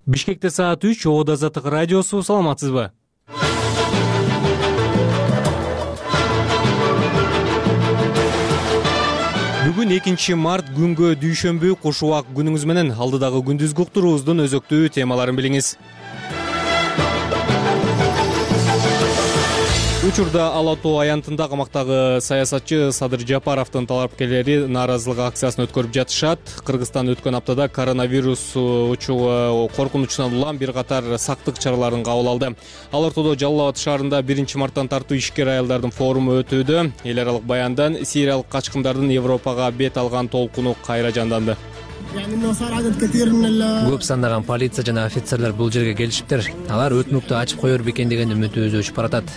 Бишкекте саат 3, Оода Азаттык радиосу, саламатсызбы? Бүгүн 2-март күнгө дүйшөмбү, куш убак күнүңүз менен. Алдыдагы күндүзгү уктуруубуздун өзөктүү темаларын билиңиз. Учурда Ала Тоо аянтында камактагы саясатчы Садыр Жапаровдун талапкерлери нааразылык акциясын өткөрүп жатышат. Кыргызстан өткөн аптада коронавирус коркунучунан улам бир катар сактык чараларын кабыл алды. Ал ортодо Жалал Абад шаарында 1-марттан тартуу ишкер аялдардын форуму өтүүдө. Эл аралык баяндан сириялык качкындардын Европага бет алган толкуну кайра жанданды. Көп сандаган полиция жана офицерлер бул жерге келишиптир. Алар өтмүктү ачып коер бекен деген үмүтүбүз өчүп баратат.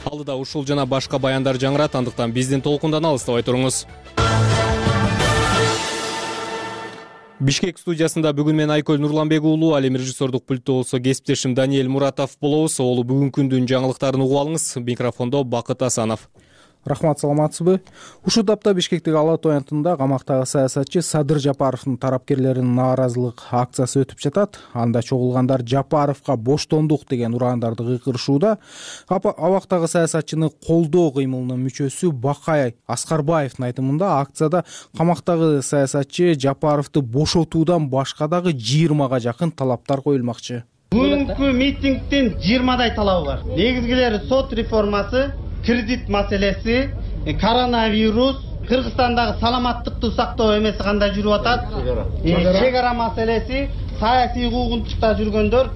Алдыда ушул жана башка баяндар жаңырат, андыктан биздин толкундан алыстабай туруңуз. Бишкек студиясында бүгүн мен Айкөл Нурланбек уулу, ал эми режиссердук пультту болсо кесиптешим Даниэль Муратов болобуз. Олу бүгүнкү күндүн жаңылыктарын угуп алыңыз. Микрофондо Бакыт Асанов. Рахмат, саламатсызбы? Ушул тапта Бишкектеги Ала Тоо аянтында камактагы саясатчы Садыр Жапаровдун тараптерлеринин нааразылык акциясы өтүп жатат. Анда чогулгандар Жапаровго боштондук деген урандарды кыйкырышууда. Абактагы саясатчыны колдоо кыймылынын мүчөсү Бакай Аскарбаевдин айтымында акцияда камактагы саясатчы Жапаровду бошотуудан башка дагы 20га жакын талаптар коюлмакчы. Бүгүнкү митингдин 20дай талабы бар. Негизгилери сот реформасы, кредит маселеси, коронавирус, Кыргызстандагы саламаттыкты сактоо эмеси кандай жүрүп атат, чек ара маселеси, саясий куугунтукта жүргөндөр.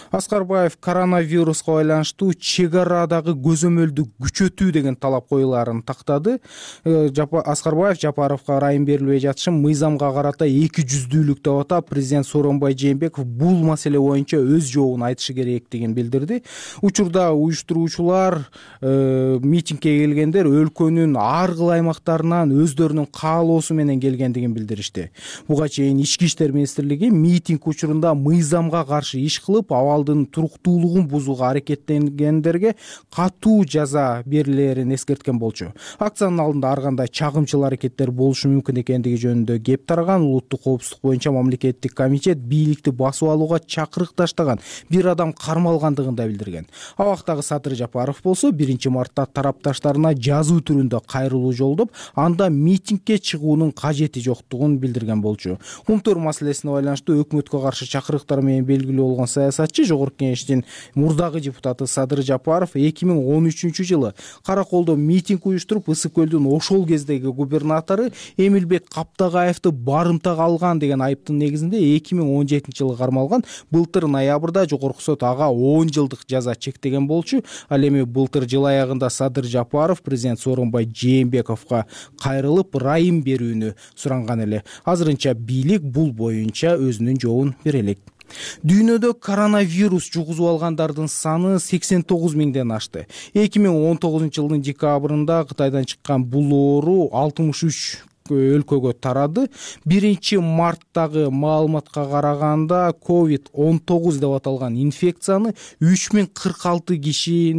Аскарбаев коронавируска байланыштуу чек арадагы көзөмөлдү күчөтүү деген талап коюларын тактады. Аскарбаев Жапаровго ырайым берилбей жатышын мыйзамга карата 200-дүүлүк деп атап, президент Сооронбай Жээнбеков бул маселе боюнча өз жообун айтышы керектигин билдирди. Учурда уюштуруучулар митингге келгендер өлкөнүн ар кыл аймактарынан өздөрүнүн каалоосу менен келгендигин билдиришти. Буга чейин Ички иштер министрлиги митинг учурунда мыйзамга каршы иш кылып, абалдын туруктуулугун бузууга аракеттенгендерге катуу жаза берилерин эскерткен болчу. Акциянын алдында ар кандай чагымчыл аракеттер болушу мүмкүн экендиги жөнүндө кеп тараган. Улуттук коопсуздук боюнча мамлекеттик комитет бийликти басып алууга чакырык таштаган бир адам кармалгандыгын да билдирген. Абактагы Садыр Жапаров болсо 1-мартта тарапташтарына жазуу түрүндө кайрылуу жолдоп, анда митингге чыгуунун кажети жоктугун билдирген болчу. Кумтөр маселесине байланыштуу өкмөткө каршы чакырыктар менен белгилүү болгон саясатчы Жогорку Кеңештин мурдагы депутаты Садыр Жапаров 2013-жылы Караколдо митинг уюштуруп, Ысык көлдүн ошол кездеги губернатору Эмилбек Каптагаевди барымтага алган деген айыптын негизинде 2017-жылы кармалган. Былтыр ноябрда Жогорку сот ага 10 жылдык жаза чектеген болчу. Ал эми былтыр жыл аягында Садыр Жапаров президент Сооронбай Жээнбековго кайрылып ырайым берүүнү суранган эле. Азырынча бийлик бул боюнча өзүнүн жообун бере элек. Дүйнөдө коронавирус жугузуп алгандардын саны 89 миңден ашты. 2019-жылдын декабрында Кытайдан чыккан бул оору 63 өлкөгө тарады. 1-марттагы маалыматка караганда COVID-19 деп аталган инфекцияны 3046 киши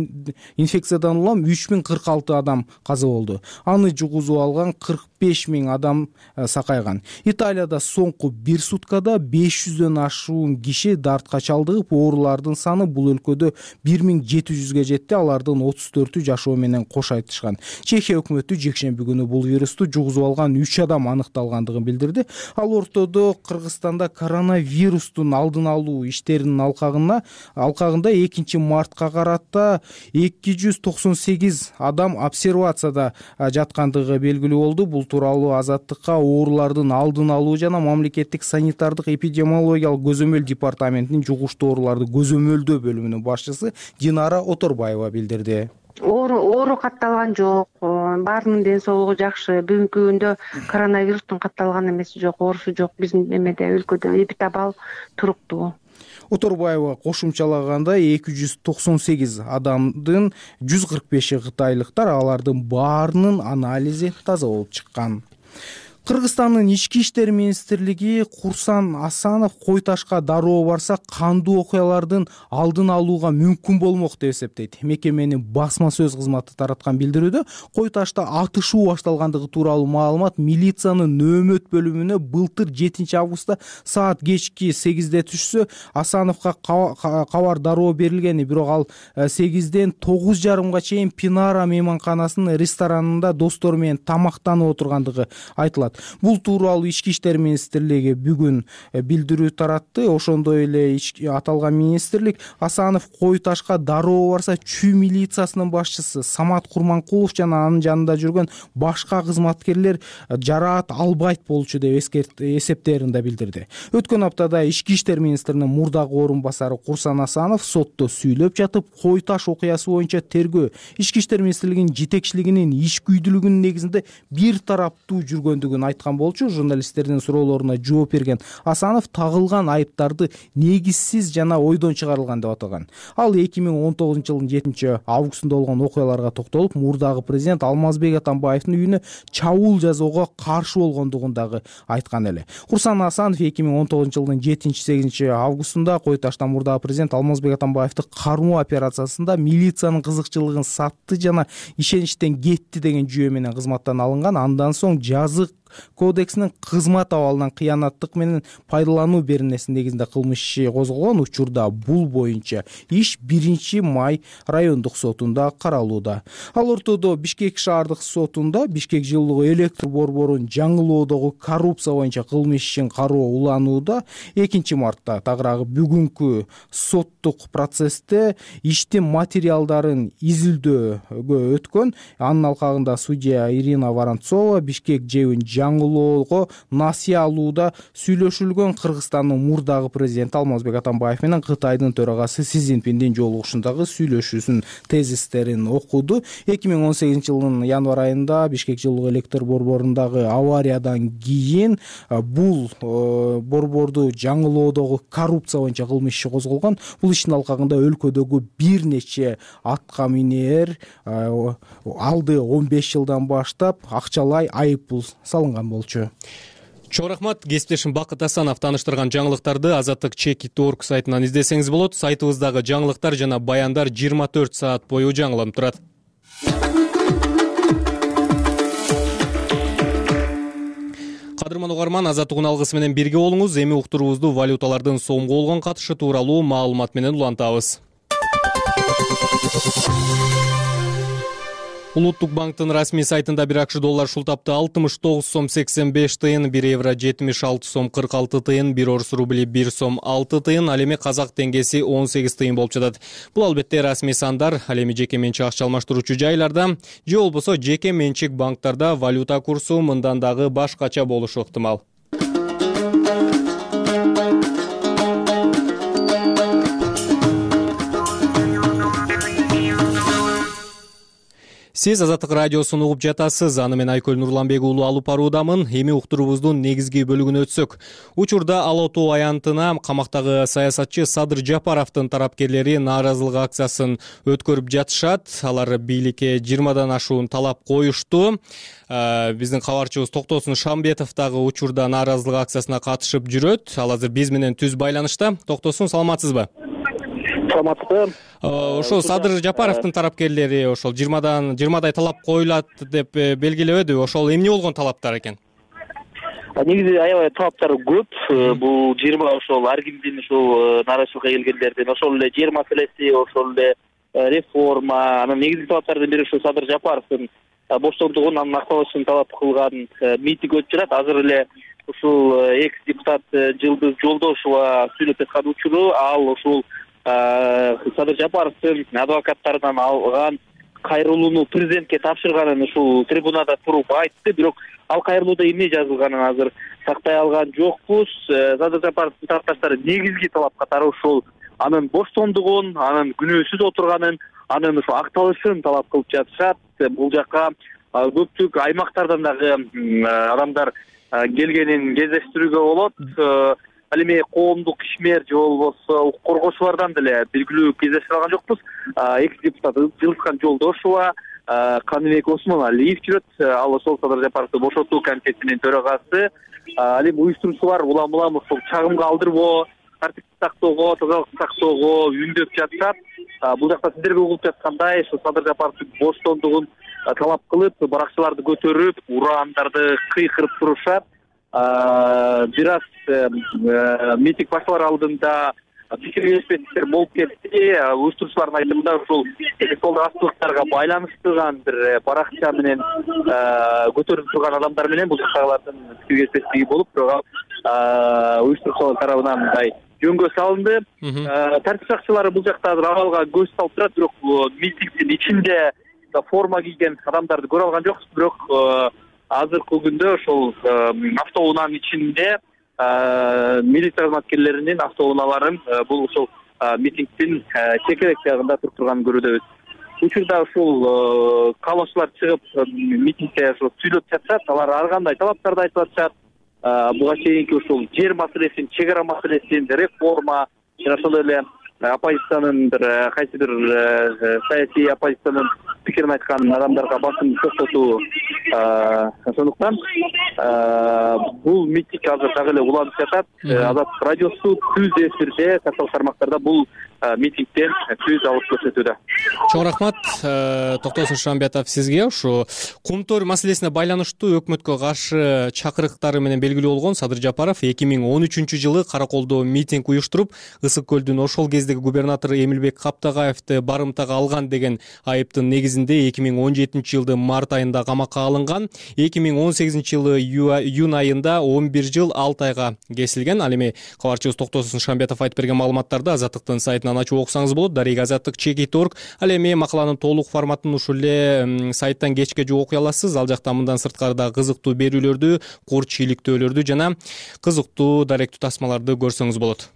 инфекциядан улам 3046 адам каза болду. Аны жугузуп алган 45 миң адам сакайган. Италияда соңку бир суткада 500дөн ашуун киши дартка чалдыгып, оорулардын саны бул өлкөдө 1700ге жетти. Алардын 34-ü жашоо менен кош айтышкан. Чехия өкмөтү жекшемби күнү бул вирусту жугузуп алган 3 адам аныкталгандыгын билдирди. Ал ортодо Кыргызстанда коронавирустун алдын алуу иштеринин алкагында 2-мартка карата 298 адам обсервацияда жаткандыгы белгилүү болду. Бул тууралуу Азаттыкка оорулардын алдын алуу жана мамлекеттик санитардык эпидемиологиялык көзөмөл департаментинин жугуштуу ооруларды көзөмөлдөө бөлүмүнүн башчысы Динара Оторбаева билдирди. Оору катталган жок, баарынын ден соолугу жакшы. Бүгүнкү күндө коронавирустун катталган эмеси жок, оорусу жок. Биздин эмеде өлкөдө эпидабал туруктуу. Оторбаева кошумчалаганда 298 адамдын 145 кытайлыктар, алардын баарынын анализи таза болуп чыккан. Кыргызстандын ички иштер министрлиги Курсан Асанов кой ташка дароо барса кандуу окуялардын алдын алууга мүмкүн болмок деп эсептейт. Мекеменин басма сөз кызматы тараткан билдирүүдө кой ташта атышуу башталгандыгы тууралуу маалымат милициянын нөөмөт бөлүмүнө былтыр 7 августта саат кечки 8-де түшсө, Асановго кабар дароо берилгени, бирок ал 8-ден 9:30 чейин Пинара мейманканасынын ресторанында достору менен тамактанып отургандыгы айтылат. Бул тууралуу ички иштер министрлиги бүгүн билдирүү таратты. Ошондой эле аталган министрлик Асанов кой ташка дароо барса чүй милициясынын башчысы Самат Курманкулов жана анын жанында жүргөн башка кызматкерлер жараат албайт болчу деп эсептерин да билдирди. Өткөн аптада ички иштер министринин мурдагы орун басары Курсан Асанов сотто сүйлөп жатып, кой таш окуясы боюнча тергөө ички иштер министрлигинин жетекчилигинин ишкүйдүүлүгүнүн негизинде бир тараптуу жүргөндүгүн айткан болчу. Журналисттердин суроолоруна жооп берген Асанов тагылган айыптарды негизсиз жана ойдон чыгарылган деп атаган. Ал 2019-жылдын 7 августунда болгон окуяларга токтолуп, мурдагы президент Алмазбек Атамбаевдин үйүнө чабуул жасоого каршы болгондугун дагы айткан эле. Курсан Асанов 2019-жылдын 7-8 августунда кой таштан мурдагы президент Алмазбек Атамбаевди кармоо операциясында милициянын кызыкчылыгын сатты жана ишеничтен кетти деген жүйө менен кызматтан алынган. Андан соң жазык кодексинин кызмат абалынан кыянаттык менен пайдалануу беренеси негизинде кылмыш иши козголгон. Учурда бул боюнча иш 1-май райондук сотунда каралууда. Ал ортодо Бишкек шаардык сотунда Бишкек жылуу электр борборун жаңылоодогу коррупция боюнча кылмыш ишин кароо уланууда. 2-мартта тагыраагы бүгүнкү соттук процессте иштин материалдарын изилдөөгө өткөн. Анын алкагында судья Ирина Воронцова Бишкек жебин жаңылоого насыя алууда сүйлөшүлгөн. Кыргызстандын мурдагы президенти Алмазбек Атамбаев менен Кытайдын төрагасы Си Цзиньпиндин жолугушундагы сүйлөшүүсүнүн тезистерин окуду. 2018-жылдын январь айында Бишкек жылуу электр борборундагы авариядан кийин бул борборду жаңылоодогу коррупция боюнча кылмыш иши козголгон. Бул иштин алкагында өлкөдөгү бир нече атка минер алды 15 жылдан баштап акчалай айыппул салынган болчу. Чоң рахмат. Кесиптешим Бакыт Асанов тааныштырган жаңылыктарды Азаттык.org сайтынан издесеңиз болот. Сайтыбыздагы жаңылыктар жана баяндар 24 саат бою жаңыланып турат. Кадырман угарман, Азаттык алгысы менен бирге болуңуз. Эми уктуруубузду валюталардын сомго болгон катышы тууралуу маалымат менен улантабыз. Улуттук банктын расмий сайтында 1 акш доллар шултапты 69 сом 85 тыйын, 1 евро 76 сом 46 тыйын, 1 орус рубли 1 сом 6 тыйын, ал эми казак теңгеси 18 тыйын болуп жатат. Бул албетте расмий сандар. Ал эми жеке менчик акча алмаштыруучу жайларда же болбосо жеке менчик банктарда валюта курсу мындан дагы башкача болушу ыктымал. Сиз Азаттык радиосун угуп жатасыз. Аны мен Айкөл Нурланбек уулу алып баруудамын. Эми уктуруубуздун негизги бөлүгүнө өтсөк. Учурда Ала Тоо аянтына камактагы саясатчы Садыр Жапаровдун тарапкерлери нааразылык акциясын өткөрүп жатышат. Алар бийликке 20дан ашуун талап коюшту. Биздин кабарчыбыз Токтосун Шамбетов дагы учурда нааразылык акциясына катышып жүрөт. Ал азыр биз менен түз байланышта. Токтосун, саламатсызбы? Саламатсызбы. Ошол Садыр Жапаровдун тарапкерлери ошол 20дай талап коюлат деп белгилебеди. Ошол эмне болгон талаптар экен? Негизи аябай талаптар көп. Бул 20 ошол ар кимдин ушул нааразычылыкка келгендердин ошол эле жер маселеси, ошол эле реформа, анан негизги талаптардын бири ушул Садыр Жапаровдун боштондугун, анын акталышын талап кылган митинг өтүп жатат. Азыр эле ушул экс депутат Жылдыз Жолдошова сүйлөп жаткан учуру ал ушул Садыр Жапаровдун адвокаттарынан алган кайрылууну президентке тапшырганын ушул трибунада туруп айтты. Бирок ал кайрылууда эмне жазылганын азыр сактай алган жокпуз. Садыр Жапаровдун тарапташтары негизги талап катары ушул анын боштондугун, анын күнөөсүз отурганын, анын ушул акталышын талап кылып жатышат. Бул жакка көптүк аймактардан дагы адамдар келгенин кездештирүүгө болот. Ал эми коомдук ишмер же болбосо укук коргоочулардан деле белгилүү кездештире алган жокпуз. Экс депутат Жылкан Жолдошова, Каныбек Осмоналиев жүрөт. Ал ошол Садыр Жапаровду бошотуу комитетинин төрагасы. Ал эми уюштуруучулар улам ошол чагымга алдырбоо, тартипти сактоого, тазалыкты сактоого үндөп жатышат. Бул жакта сиздерге угулуп жаткандай, ошо Садыр Жапаровдун боштондугун талап кылып, баракчыларды көтөрүп, ураандарды кыйкырып турушат. Бир аз митинг башталар алдында пикир келишпестиктер болуп кетти. Уюштуруучулардын айтымында ушул сол астылыктарга байланыштырган бир баракча менен көтөрүлүп турган адамдар менен бул жактагылардын пикир келишпестиги болуп, бирок уюштуруучулар тарабынан мындай жөнгө салынды. Тартип сакчылары бул жакта азыр абалга көз салып турат, бирок митингдин ичинде форма кийген адамдарды көрө алган жокпуз. Бирок азыркы күндө ошол автоунаанын ичинде милиция кызматкерлеринин автоунааларын бул ошол митингдин чекерек жагында туруп турганын көрүүдөбүз. Учурда ушул колончулар чыгып митингде ошо сүйлөп жатышат. Алар ар кандай талаптарды айтып атышат. Буга чейинки ушул жер маселесин, чек ара маселесин, реформа жана ошондой эле оппозициянын бир кайсы бир саясий оппозициянын пикирин айткан адамдарга басым токтотуу. Ошондуктан бул митинг азыр дагы эле уланып жатат. Азаттык радиосу түз эфирде социалдык тармактарда бул митингден түз алып көрсөтүүдө. Чоң рахмат Токтосун Шамбетов сизге. Ушу Кумтөр маселесине байланыштуу өкмөткө каршы чакырыктары менен белгилүү болгон Садыр Жапаров 2013-жылы Караколдо митинг уюштуруп, Ысык көлдүн ошол кездеги губернатору Эмилбек Каптагаевди барымтага алган деген айыптын негизинде 2017-жылдын март айында камакка алынган. 2018-жылы июнь айында 11 жыл 6 айга кесилген. Ал эми кабарчыбыз Токтосун Шамбетов айтып берген маалыматтарды Азаттыктын сайтынан ачып окусаңыз болот. Дарек Азаттык.org. Ал эми макаланын толук форматын ушул эле сайттан кечке жок окуй аласыз. Ал жакта мындан сырткары да кызыктуу берүүлөрдү, курч иликтөөлөрдү жана кызыктуу даректүү тасмаларды көрсөңүз болот.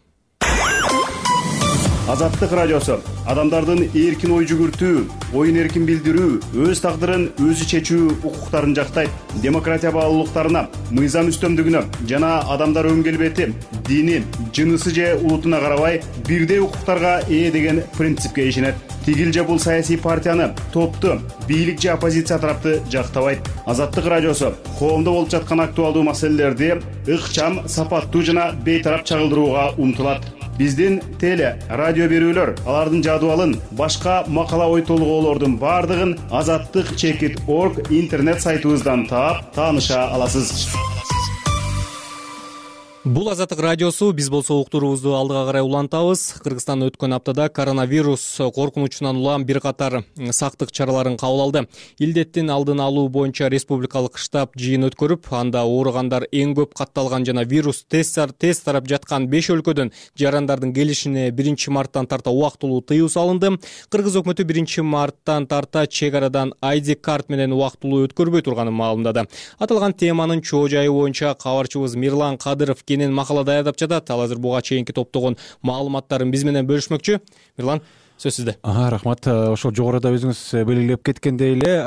Азаттык радиосу адамдардын эркин ой жүгүртүү, оюн эркин билдирүү, өз тагдырын өзү чечүү укуктарын жактайт. Демократия баалуулуктарына, мыйзам үстөмдүгүнө жана адамдар өн келбети, дини, жынысы же улутуна карабай бирдей укуктарга ээ деген принципке ишенет. Тигил же бул саясий партияны, топту, бийлик же оппозиция тарапты жактабайт. Азаттык радиосу коомдо болуп жаткан актуалдуу маселелерди ыкчам, сапаттуу жана бейтарап чагылдырууга умтулат. Биздин теле, радио берүүлөр, алардын жадыбалын, башка макала ой толгоолордун бардыгын Azattyk.org интернет сайтыбыздан таап, тааныша аласыз. Бул Азаттык радиосу. Биз болсо уктуруубузду алдыга карай улантабыз. Кыргызстанда өткөн аптада коронавирус коркунучунан улам бир катар сактык чараларын кабыл алды. Илдеттин алдын алуу боюнча республикалык штаб жыйын өткөрүп, анда ооругандар эң көп катталган жана вирус тест тарап жаткан 5 өлкөдөн жарандардын келишине 1-марттан тарта убактылуу тыюу салынды. Кыргыз өкмөтү 1-марттан тарта чек арадан ID карт менен убактылуу өткөрбөй турганын маалымдады. Аталган теманын чоо жайы боюнча кабарчыбыз Мирлан Кадыров кенен макала даярдап жатат. Ал азыр буга чейинки топтогон маалыматтарын биз менен бөлүшмөкчү. Мирлан, сөз сизде. Рахмат. Ошол жогоруда өзүңүз белгилеп кеткендей эле,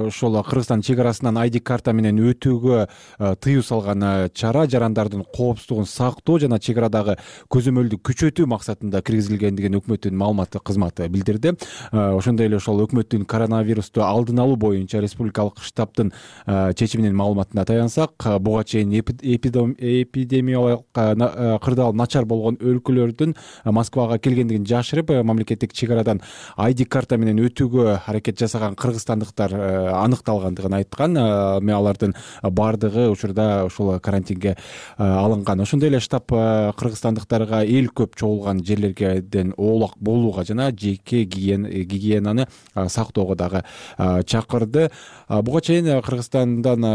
ошол Кыргызстан чек арасынан ID карта менен өтүүгө тыюу салган чара жарандардын коопсуздугун сактоо жана чек арадагы көзөмөлдү күчөтүү максатында киргизилгендигин өкмөттүн маалыматтык кызматы билдирди. Ошондой эле ошол өкмөттүн коронавирусту алдын алуу боюнча республикалык штабтын чечиминин маалыматына таянсак, буга чейин эпидемиялык кырдаал начар болгон өлкөлөрдүн Москвага келгендигин жашырып, мамлекеттик чек арадан ID карта менен өтүүгө аракет жасаган кыргызстандыктар аныкталгандыгын айткан. Алардын бардыгы учурда ушул карантинге алынган. Ошондой эле штаб кыргызстандыктарга эл көп чогулган жерлерден оолак болууга жана жеке гигиенаны сактоого дагы чакырды. Буга чейин Кыргызстандан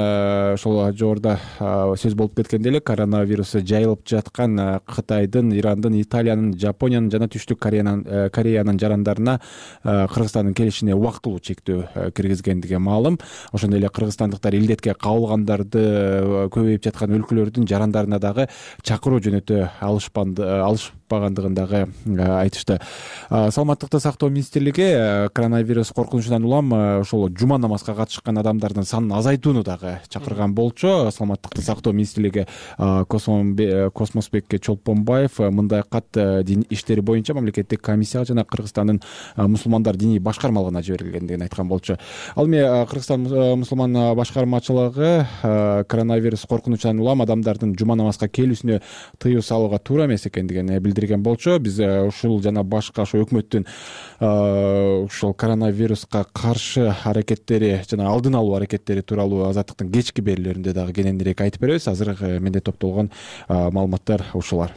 ошол жогоруда сөз болуп кеткендей эле коронавирус жайылып жаткан Кытайдын, Ирандын, Италиянын, Жапониянын жана Түштүк Кореянын жарандарына Кыргызстандын келишине убактылуу чектөө киргизгендиги маалым. Ошондой эле кыргызстандыктар илдетке кабылгандарды көбөйүп жаткан өлкөлөрдүн жарандарына дагы чакыруу жөнөтө алышпады жатпагандыгын дагы айтышты. Саламаттыкты сактоо министрлиги коронавирус коркунучунан улам ошол жума намазга катышкан адамдардын санын азайтууну дагы чакырган болчу. Саламаттыкты сактоо министрлиги Космосбек Чолпонбаев мындай кат дин иштери боюнча мамлекеттик комиссияга жана Кыргызстандын мусулмандар диний башкармалыгына жиберилгендигин айткан болчу. Ал эми Кыргызстан мусулман башкармачылыгы коронавирус коркунучунан улам адамдардын жума намазга келүүсүнө тыюу салууга туура эмес экендигин билдирген болчу. Биз ушул жана башка ошо өкмөттүн ушул коронавируска каршы аракеттери жана алдын алуу аракеттери тууралуу Азаттыктын кечки берүүлөрүндө дагы кененирээк айтып беребиз. Азыр менде топтолгон маалыматтар ушулар.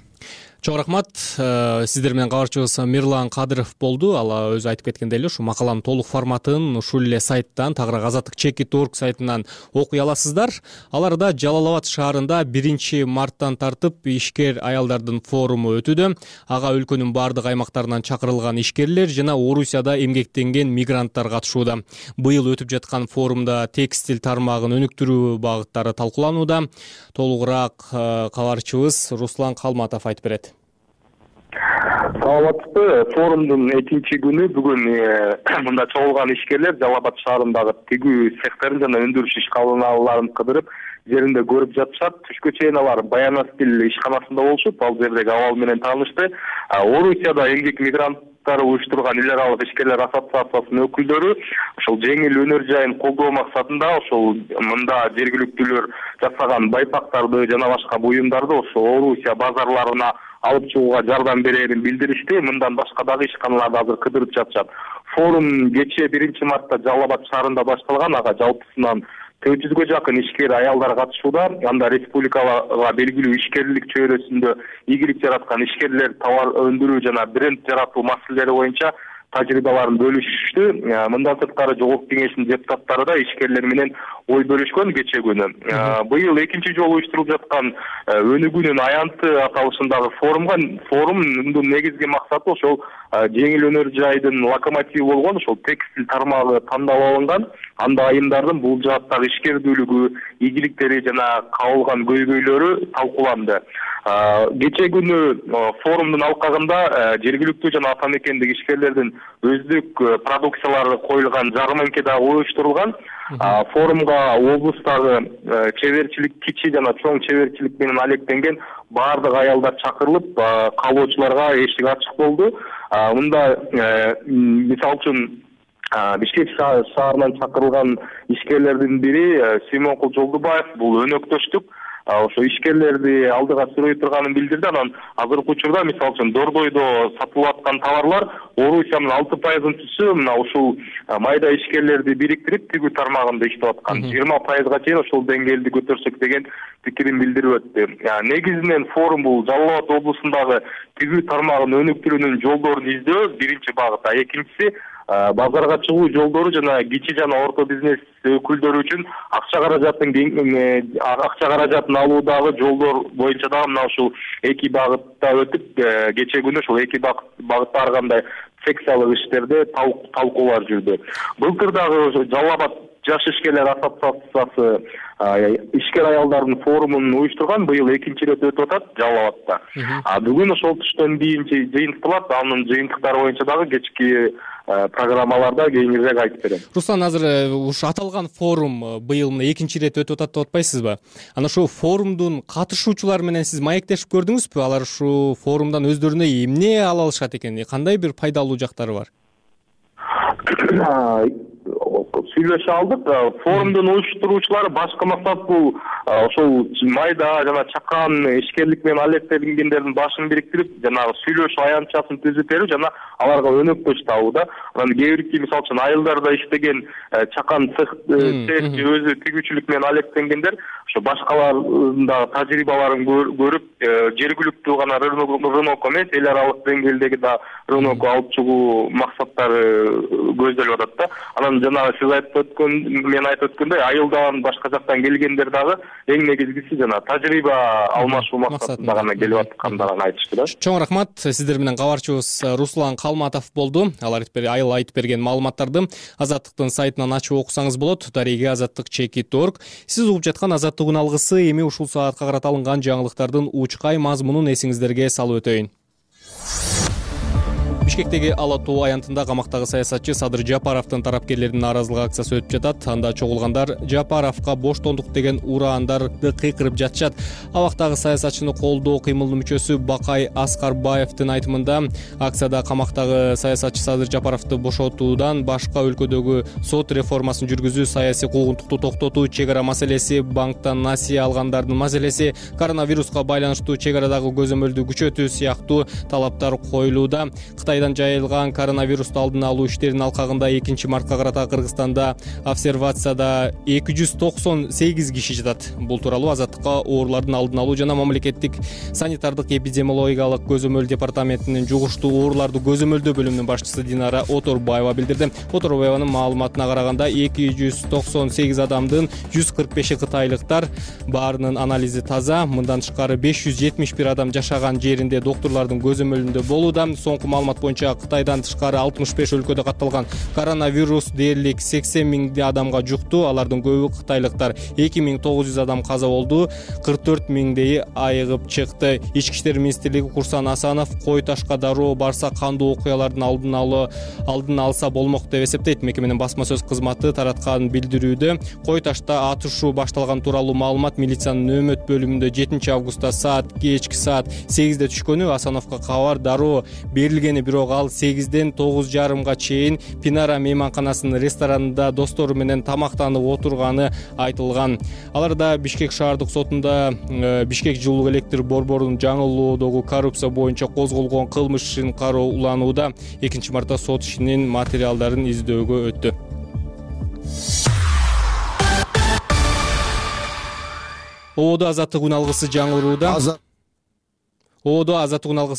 Чоң рахмат. Сиздер менен кабарчыбыз Мирлан Кадыров болду. Ал өзү айтып кеткендей эле ушу макаланын толук форматын ушул эле сайттан, тагыраак azattik.org сайтынан окуй аласыздар. Аларда Жалал-Абад шаарында 1-марттан тартып ишкер аялдардын форуму өтүүдө. Ага өлкөнүн бардык аймактарынан чакырылган ишкерлер жана Орусияда эмгектенген мигранттар катышууда. Быйыл өтүп жаткан форумда текстиль тармагын өнүктүрүү багыттары талкууланууда. Толугураак кабарчыбыз Руслан Калматов айтып берет. Саламатсызбы. Форумдун 2-чи күнү бүгүн мында чогулган ишкерлер Жалал-Абад шаарындагы тигүү цехтерин жана өндүрүш ишканаларын кыдырып жеринде көрүп жатышат. Түшкө чейин алар Баяна стиль ишканасында болушуп, ал жердеги абал менен таанышты. Орусияда эмгек мигранттары уюштурган эл аралык ишкерлер ассоциациясынын өкүлдөрү ошол жеңил өнөр жайын колдоо максатында ошол мында жергиликтүүлөр жасаган байпактарды жана башка буюмдарды ошол Орусия базарларына алып чыгууга жардам берерин билдиришти. Мындан башка дагы ишканаларды азыр кыдырып жатышат. Форум кечээ 1-мартта Жалал-Абад шаарында башталган. Ага жалпысынан 400-гө жакын ишкер аялдар катышууда. Анда республикага белгилүү ишкерлик чөйрөсүндө ийгилик жараткан ишкерлер товар өндүрүү жана бренд жаратуу маселелери боюнча тажрыйбаларын бөлүшүштү. Мындан сырткары Жогорку Кеңештин депутаттары да ишкерлер менен ой бөлүшкөн кечээ күнү. Быйыл 2-чи жолу уюштурулуп жаткан өнүгүүнүн аянты аталышындагы форумдун негизги максаты ошол жеңил өнөр жайдын локомотиви болгон ошол текстиль тармагы тандап алынган. Анда айымдардын бул жааттагы ишкердүүлүгү, ийгиликтери жана кабылган көйгөйлөрү талкууланды. Кечээ күнү форумдун алкагында жергиликтүү жана ата мекендик ишкерлердин өздүк продукциялары коюлган жарманке дагы уюштурулган. Форумга облустагы чеберчилик, кичи жана чоң чеберчилик менен алектенген бардык аялдар чакырылып, каалоочуларга эшик ачык болду. Мында мисалы үчүн Бишкек шаарынан чакырылган ишкерлердин бири Симонкул Жолдубаев бул өнөктөштүк ошо ишкерлерди алдыга сүрөй турганын билдирди. Анан азыркы учурда мисалы үчүн Дордойдо сатылып аткан товарлар Орусиянын 6% түсү мына ушул майда ишкерлерди бириктирип тигүү тармагында иштеп аткан. 20%га чейин ошол деңгээлди көтөрсөк деген пикирин билдирип өттү. Негизинен форум бул Жалал-Абад облусундагы тигүү тармагын өнүктүрүүнүн жолдорун издөө 1-чи багыт, экинчиси базарга чыгуу жолдору жана кичи жана орто бизнес өкүлдөрү үчүн акча каражатын алуудагы жолдор боюнча дагы мына ушул 2 багытта өтүп, кечээ күнү ушул 2 багытта ар кандай секциялык иштерде талкуулар жүрдү. Былтыр дагы Жалал-Абад жаш ишкерлер ассоциациясы ишкер аялдардын форумун уюштурган. Быйыл 2-чи рет өтүп атат Жалал-Абадта. Бүгүн ошол түштөн кийин жыйынтыкталат. Анын жыйынтыктары боюнча дагы кечки программаларда кийинирээк айтып берем. Руслан, азыр ушу аталган форум быйыл мына 2-чи рет өтүп атат деп атпайсызбы? Анан ошо форумдун катышуучулары менен сиз маектешип көрдүңүзбү? Алар ушу форумдан өздөрүнө эмне ала алышат экен? Кандай бир пайдалуу жактары бар? Сүйлөшө алдык. Форумдун уюштуруучулары башкы максат бул ошол майда жана чакан ишкерлик менен алектенгендердин башын бириктирип, жанагы сүйлөшүү аянтчасын түзүп берүү жана аларга өнөктөш табуу да. Анан кээ бирки мисалы үчүн айылдарда иштеген чакан цехти өзү тигүүчүлүк менен алектенгендер ошо башкалардын дагы тажрыйбаларын көрүп, жергиликтүү гана рынок эмес, эл аралык деңгээлдеги да рынок алып чыгуу максаттары көздөлүп атат да. Анан жанагы сиз мен айтып өткөндөй, айылдан башка жактан келгендер дагы эң негизгиси жана тажрыйба алмашуу максатында гана келип аткандыгын айтышты да. Чоң рахмат. Сиздер менен кабарчыбыз Руслан Калматов болду. Айыл айтып берген маалыматтарды Азаттыктын сайтынан ачып окусаңыз болот. Дареги azattik.org. Сиз угуп жаткан Азаттыктын алгысы эми ушул саатка карата алынган жаңылыктардын учкай мазмунун эсиңиздерге салып өтөйүн. Бишкектеги Ала тоо аянтында камактагы саясатчы Садыр Жапаровдун тарапкерлеринин нааразылык акциясы өтүп жатат. Анда чогулгандар Жапаровго боштондук деген ураандарды кыйкырып жатышат. Абактагы саясатчыны колдоо кыймылынын мүчөсү Бакай Аскарбаевдин айтымында акцияда камактагы саясатчы Садыр Жапаровду бошотуудан башка өлкөдөгү сот реформасын жүргүзүү, саясий куугунтукту токтотуу, чек ара маселеси, банктан насыя алгандардын маселеси, коронавируска байланыштуу чек арадагы көзөмөлдү күчөтүү сыяктуу талаптар коюлууда. Кытайдан жайылган коронавирусту алдын алуу иштеринин алкагында 2 мартка карата Кыргызстанда обсервацияда 298 киши жатат. Бул тууралуу Азаттыкка оорулардын алдын алуу жана мамлекеттик санитардык эпидемиологиялык көзөмөл департаментинин жугуштуу ооруларды көзөмөлдөө бөлүмүнүн башчысы Динара Оторбаева билдирди. Оторбаеванын маалыматына караганда 298 адамдын 145 кытайлыктар, баарынын анализи таза. Мындан тышкары 571 адам жашаган жеринде доктурлардын көзөмөлүндө болууда. Соңку маалымат боюнча Кытайдан тышкары 65 өлкөдө катталган коронавирус дээрлик 80 000 адамга жукту. Алардын көбү кытайлыктар. 2900 адам каза болду, 44 000 айыгып чыкты. Ички иштер министрлиги Курсан Асанов кой ташка дароо барса кандуу окуялардын алдын алса болмок деп эсептейт. Мекеменин басма сөз кызматы тараткан билдирүүдө кой ташта атышуу башталган тууралуу маалымат милициянын нөөмөт бөлүмүндө 7 августта кечки саат 8де түшкөнү Асановго кабар дароо берилгени, бирок ал 8ден 9:30 чейин Пинара мейманканасынын ресторанында достору менен тамактанып отурганы айтылган. Аларда Бишкек шаардык сотунда Бишкек жылуу электр борборунун жаңылоодогу коррупция боюнча козголгон кылмыш ишин карооланууда. 2 мартта сот ишинин материалдарын издөөгө өттү. ООД Азаттык үн алгысы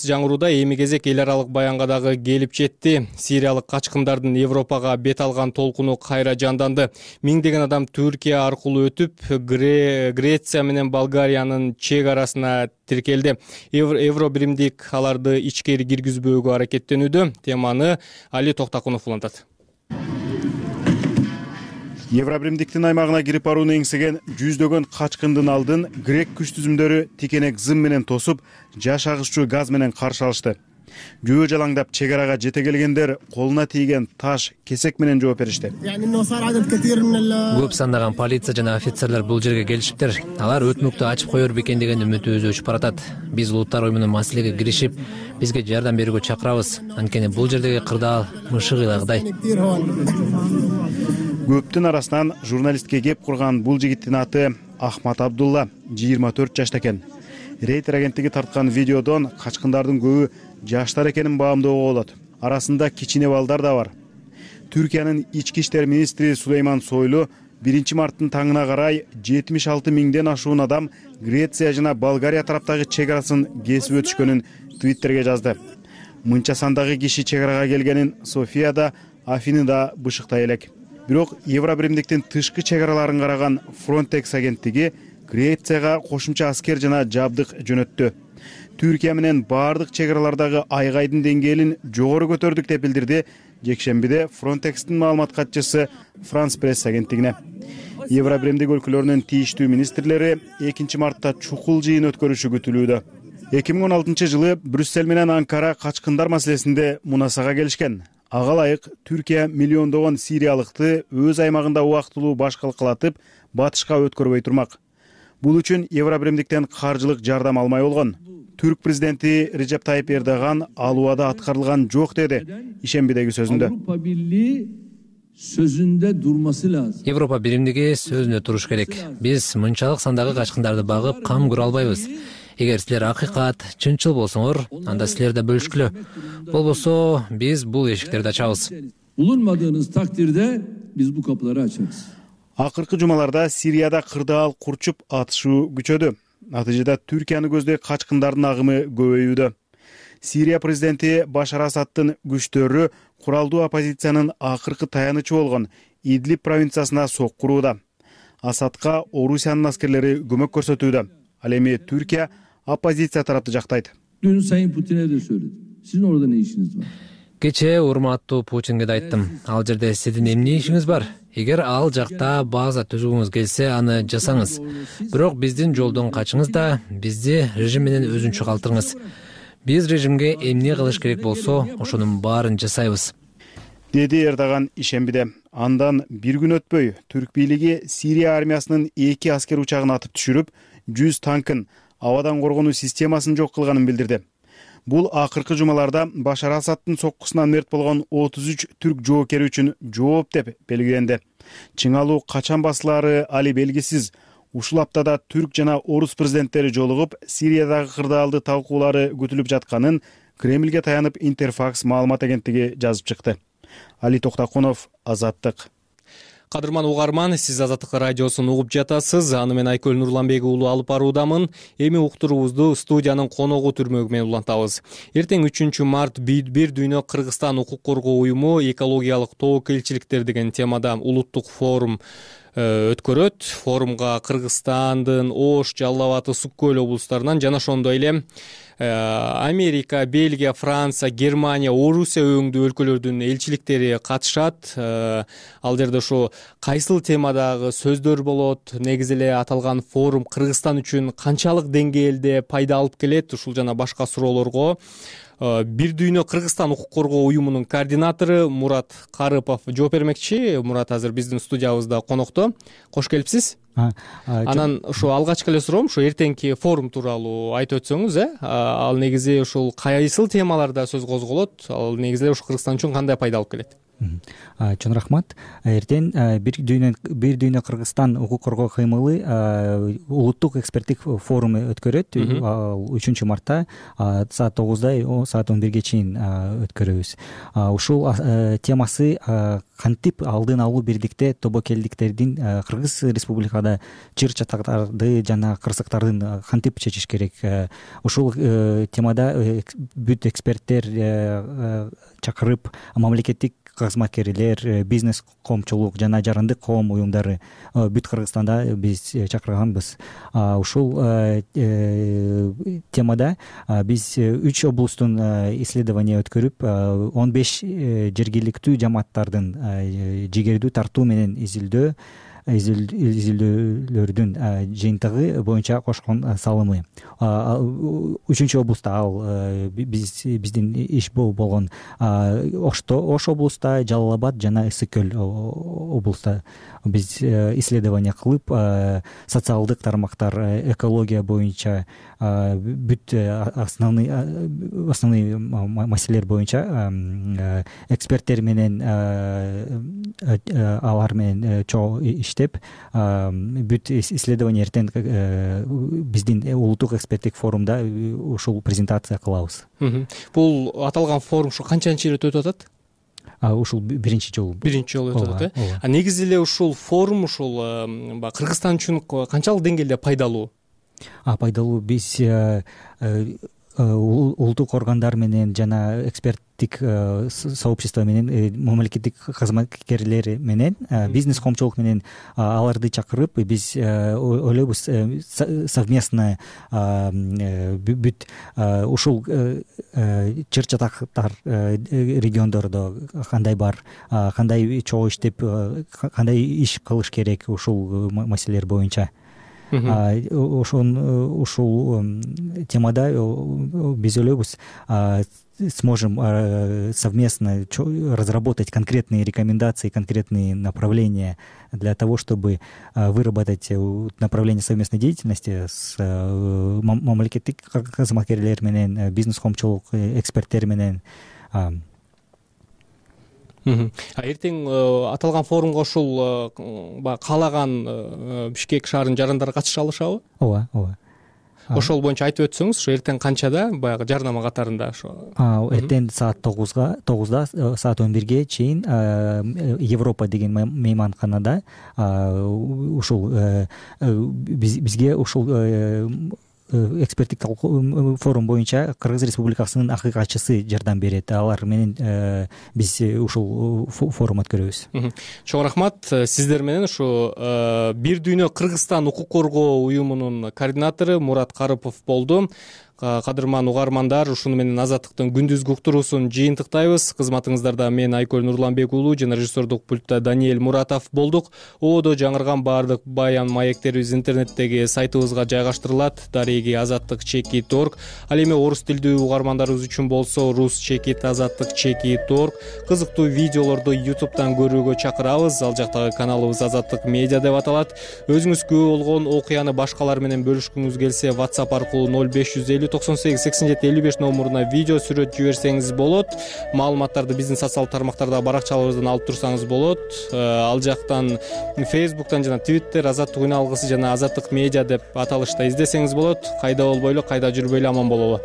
жаңырууда эми кезек эл аралык баянга дагы келип жетти. Сириялык качкындардын Европага бет алган толкуну кайра жанданды. Миңдеген адам Түркия аркылуу өтүп, Греция менен Болгариянын чек арасына тиркелди. Евро биримдик аларды ичкери киргизбөөгө аракеттенүүдө. Теманы Али Токтакунов улантат. Евробиримдиктин аймагына кирип барууну эңсеген жүздөгөн качкындын алдын грек күч түзүмдөрү тикенек зым менен тосуп, жаш агышчу газ менен каршы алышты. Жөө жалаңдап чек арага жете келгендер колуна тийген таш, кесек менен жооп беришти. Көп сандаган полиция жана офицерлер бул жерге келишиптир. Алар өтмүктү ачып коер бекен деген үмүтүбүз өчүп баратат. Биз улуттар оюмунун маселеге киришип, бизге жардам берүүгө чакырабыз. Анткени бул жердеги кырдаал мышыгыйлагыдай. Көптүн арасынан журналистке кеп курган бул жигиттин аты Ахмат Абдулла, 24 жашта экен. Рейтер агенттиги тарткан видеодон качкындардын көбү жаштар экенин баамдоого болот. Арасында кичине балдар да бар. Түркиянын ички иштер министри Сулейман Сойлу 1 марттын таңына карай 76 000ден ашуун адам Греция жана Болгария тараптагы чек арасын кесип өтүшкөнүн Твиттерге жазды. Мынча сандагы киши чек арага келгенин Софияда, Афинада бышыктай элек. Бирок Евробиримдиктин тышкы чек араларын караган Frontex агенттиги Грецияга кошумча аскер жана жабдык жөнөттү. Түркия менен бардык чек аралардагы айгайдын деңгээлин жогору көтөрдүк деп билдирди жекшембиде Frontex'тин маалымат катчысы Франс пресс агенттигине. Евробиримдик өлкөлөрүнүн тийиштүү министрлери 2 мартта чукул жыйын өткөрүшү күтүлүүдө. 2016 жылы Брюссель менен Анкара качкындар маселесинде мунасага келишкен. Ага ылайык Түркия миллиондогон сириялыкты өз аймагында убактылуу башкалкалатып, батышка өткөрбөй турмак. Бул үчүн Евробиримдиктен каржылык жардам алмай болгон. Түрк президенти Режеп Тайип Эрдоган ал убада аткарылган жок деди ишембидеги сөзүндө. Европа биримдиги сөзүндө туруш керек. Биз мынчалык сандагы качкындарды багып кам көрө албайбыз. Эгер силер акыйкат, чынчыл болсоңор, анда силер да бөлүшкүлө. Болбосо биз бул эшиктерди ачабыз. Bulunmadığınız takdirde biz bu kapıları açarız. Акыркы жумаларда Сирияда кырдаал курчуп атышуу күчөдү. Натыйжада Түркияны көздөй качкындардын агымы көбөйүүдө. Сирия президенти Башар Асадтын күчтөрү куралдуу оппозициянын акыркы таянычы болгон Идлиб провинциясына сок курууда. Асадка Орусиянын аскерлери көмөк көрсөтүүдө. Ал эми Түркия оппозиция тарапты жактайт. Dün Sayın Putin'e de söyledim. Sizin orada ne işiniz var? Кечээ урматтуу Путинге да айттым. Ал жерде сиздин эмне ишиңиз бар? Эгер ал жакта база түзүүңүз келсе, аны жасаңыз. Бирок биздин жолдон качыңыз да, бизди режим менен өзүнчө калтырыңыз. Биз режимге эмне кылыш керек болсо ошонун баарын жасайбыз, деди Эрдоган ишембиде. Андан бир күн өтпөй түрк бийлиги Сирия армиясынын 2 аскер учагын атып түшүрүп, 100 танкын, абадан коргонуу системасын жок кылганын билдирди. Бул акыркы жумаларда Башар Асаддын соккусунан мерт болгон 33 түрк жоокери үчүн жооп деп белгиленди. Чыңалуу качан басылаары али белгисиз. Ушул аптада түрк жана орус президенттери жолугуп, Сириядагы кырдаалды талкуулары күтүлүп жатканын Кремльге таянып Интерфакс маалымат агенттиги жазып чыкты. Али Токтакунов, Азаттык. Кадырман угарман, сиз Азаттык радиосун угуп жатасыз. Аны мен Айкөл Нурланбек уулу алып баруудамын. Эми уктуруубузду студиянын коногу түрмөгү менен улантабыз. Эртең 3 март Бир дүйнө Кыргызстан укук коргоо уюму экологиялык тобокелчиликтер деген темада улуттук форум өткөрөт. Форумга Кыргызстандын Ош, Жалал Абад, Ысык көл облустарынан жана ошондой эле Америка, Бельгия, Франция, Германия, Орусия өңдүү өлкөлөрдүн элчиликтери катышат. Ал жерде ошо кайсыл темадагы сөздөр болот, негизи эле аталган форум Кыргызстан үчүн канчалык деңгээлде пайда алып келет, ушул жана башка суроолорго Бир дүйнө Кыргызстан укук коргоо уюмунун координатору Мурат Карыпов жооп бермекчи. Мурат азыр биздин студиябызда конокто. Кош келипсиз. Анан ошо алгачкы эле суроом, ошо эртеңки форум тууралуу айтып өтсөңүз, ал негизи ушул кайсыл темаларда сөз козголот, ал негизи эле ушу Кыргызстан үчүн кандай пайда алып келет? Чоң рахмат. Эртең бир дүйнө Кыргызстан укук коргоо кыймылы улуттук эксперттик форуму өткөрөт. 3 мартта саат 9-да саат 11-ге чейин өткөрөбүз. Ушул темасы кантип алдын алуу бирдикте тобокелдиктердин Кыргыз республикада чыр чатактарды жана кырсыктардын кантип чечиш керек. Ушул темада бүт эксперттер чакырып, мамлекеттик кызматкерлер, бизнес коомчулук жана жарандык коом уюмдары бүт Кыргызстанда биз чакырганбыз. Ушул темада биз 3 облустун исследование өткөрүп, 15 жергиликтүү жамааттардын жигердүү тартуу менен изилдөөлөрдүн жыйынтыгы боюнча кошкон салымы. 3 облустта ал биздин иш болгон Ош облуста, Жалал Абад жана Ысык көл облуста биз исследование кылып, социалдык тармактар, экология боюнча бүт основной маселелер боюнча эксперттер менен алар менен чоң иштеп, бүт исследование эртең биздин улуттук эксперттик форумда ушул презентация кылабыз. Бул аталган форум ушу канчанчы ирет өтүп атат? Ушул биринчи жолу өтүп атат. Негизи эле ушул форум ушул Кыргызстан үчүн канчалык деңгээлде пайдалуу? Пайдалуу биз улуттук органдар менен жана эксперттик сообщество менен, мамлекеттик кызматкерлер менен, бизнес коомчулук менен аларды чакырып, биз ойлойбуз совместно бүт ушул чыр чатактар региондордо кандай бар, кандай чогуу иштеп, кандай иш кылыш керек ушул маселелер боюнча. Ушул темада биз ойлойбуз сможем совместно разработать конкретные рекомендации, конкретные направления для того, чтобы выработать направление совместной деятельности с мамлекеттик кызматкерлер менен, бизнес коомчулук эксперттер менен. Эртең аталган форумга ушул каалаган Бишкек шаарынын жарандары катыша алышабы? Ооба. Ошол боюнча айтып өтсөңүз, ушу эртең канчада баягы жарнама катарында ошо? Эртең саат 9-да саат 11-ге чейин Европа деген мейманканада ушул бизге ушул эксперттик форум боюнча Кыргыз Республикасынын акыйкатчысы жардам берет. Алар менен биз ушул форум өткөрөбүз. Чоң рахмат. Сиздер менен ушу Бир дүйнө Кыргызстан укук коргоо уюмунун координатору Мурат Карыпов болду. Кадырман угармандар, ушуну менен Азаттыктын күндүзгү уктуруусун жыйынтыктайбыз. Кызматыңыздарда мен Айкөл Нурланбек уулу жана режиссердук пультта Даниэль Муратов болдук. Ободо жаңырган баардык баян маектерибиз интернеттеги сайтыбызга жайгаштырылат. Дареги azattik.org. Ал эми орус тилдүү угармандарыбыз үчүн болсо rus.azattik.org. Кызыктуу видеолорду YouTube'дан көрүүгө чакырабыз. Ал жактагы каналыбыз Азаттык медиа деп аталат. Өзүңүз күбө болгон окуяны башкалар менен бөлүшкүңүз келсе, WhatsApp аркылуу 0550 98 87 55 номуруна видео сүрөт жиберсеңиз болот. Маалыматтарды биздин социалдык тармактарда баракчаларыбыздан алып турсаңыз болот. Ал жактан Facebook'тан жана Twitter Азаттык үн алгысы жана Азаттык медиа деп аталышта издесеңиз болот. Кайда болбойлу, кайда жүрбөйлү аман бололу.